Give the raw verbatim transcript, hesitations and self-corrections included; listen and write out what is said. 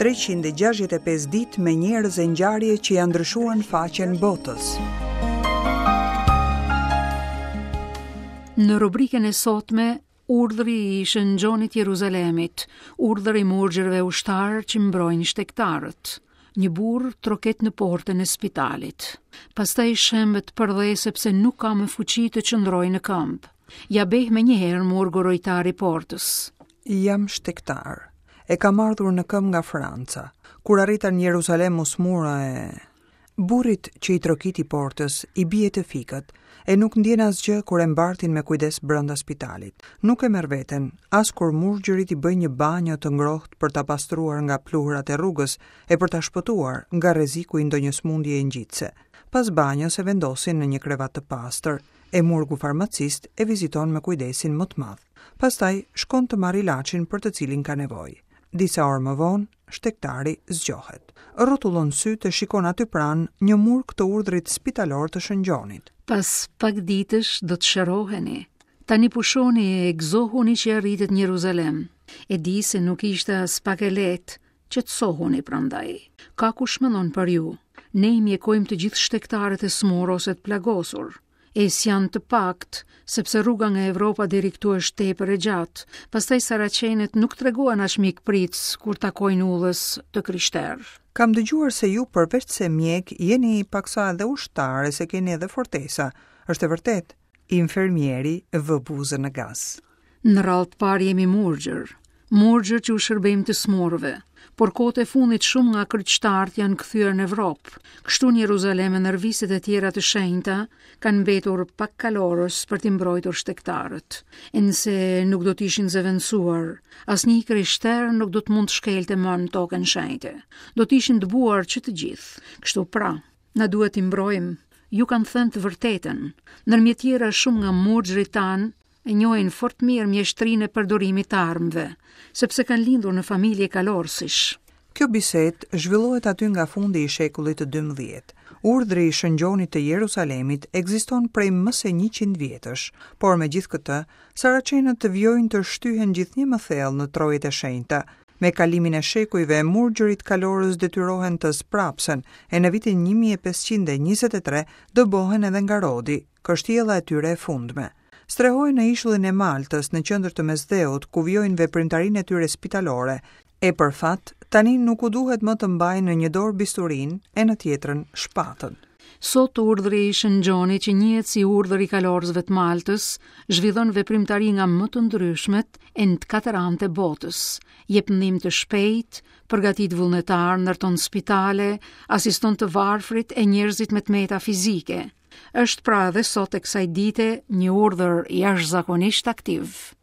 treqind e gjashtëdhjetë e pesë ditë me njerëz e ngjarje që janë ndryshuar faqen botës. Në rubrikën e sotme, urdhri i Shën Gjonit Jeruzalemit, urdhri i murgjërve ushtarë që mbrojnë shtegtarët. Një burr troket në portën e spitalit. Pastaj shembet përdhe, sepse nuk ka më fuqi të qëndrojë në këmbë. Ja beh me njëherë murgu rojtar i portës. Jam shtegtar. E kam ardhur në këmbë nga Franca. Kur arrita në Jeruzalem, u smura e. Burrit që i trokiti portës i bie të fikët e nuk ndjen asgjë kur e mbartin me kujdes brenda spitalit. Nuk e merr veten as kur murgjërit i bëjnë një banjo të ngrohtë për ta pastruar nga pluhurat e rrugës e për ta shpëtuar nga rreziku i ndonjë sëmundjeje ngjitëse. Pas banjos e vendosin në një krevat të pastër, e murgu farmacist e viziton me kujdesin më të madh. Pastaj shkon të marrë ilaçin për të cilin ka nevojë. Disa orë më vonë, shtegtari zgjohet. Rrotullon sytë e shikon aty pranë një murg të urdhrit spitalor të Shën Gjonit. Pas pak ditësh do të shëroheni. Tani pushoni e gëzohuni që arritët në Jeruzalem. E di se nuk ishte as pak e lehtë, qetësohuni prandaj. Ka kush mendon për ju. Ne i mjekojmë të gjithë shtegtarët e smur ose të plagosur. E s'janë të pakt, sepse rruga nga Evropa deri këtu është tepër e gjatë. Pastaj saracenët nuk tregohen aq mikpritës kur takojnë udhës të krishterë. Kam dëgjuar se ju, përveç se mjek, jeni paksa edhe ushtar e se keni edhe fortesa. Është e vërtet? Infermieri vë buzën në gaz. Në radhë të parë jemi murgjër. Murgjër që u shërbejmë të smurve. Por kohët e fundit shumë nga kryqtarët janë kthyer në Evropë. Kështu në Jeruzalem e në viset e tjera të shenjta kanë mbetur pak kalorës për t'i mbrojtur shtegtarët. E nëse nuk do të ishin zëvendësuar, asnjë krishter nuk do të mund të shkelte më në tokën shenjte. Do të ishin dëbuar që të gjithë. Kështu pra, na duhet t'i mbrojmë. Ju kanë thënë të vërtetën. Ndërmjet tjera, shumë nga murgjërit tanë e njohin fort mirë mjeshtrinë e përdorimit të armëve, sepse kanë lindur në familje kalorësish. Kjo bisedë zhvillohet aty nga fundi i shekullit të dymbëdhjetë. Urdhri i Shën Gjonit të Jerusalemit ekziston prej më se njëqind vjetësh, por me gjithë këtë, saracenët vijojnë të shtyhen gjithnjë më thellë në trojet e shenjta. Me kalimin e shekujve, murgjërit kalorës detyrohen të sprapsen e në vitin një mijë e pesëqind e njëzet e tre dëbohen edhe nga Rodi, kështjella e tyre e fundme. Strehohen në ishullin e Maltës, në qendër të Mesdheut, ku vijojnë veprimtarinë e tyre spitalore. E për fat, tani nuk u duhet më të mbajnë në një dorë bisturin e në tjetrën shpatën. Sot urdhri i Shën Gjonit, që njihet si urdhri i kalorësve të Maltës, zhvillon veprimtari nga më të ndryshmet e në të katër anët e botës. Jep ndihmë të shpejtë, përgatit vullnetar, ndërton spitale, asiston të varfrit e njerëzit me të meta fizike. Është pra edhe sot e kësaj dite një urdhër jashtëzakonisht aktiv.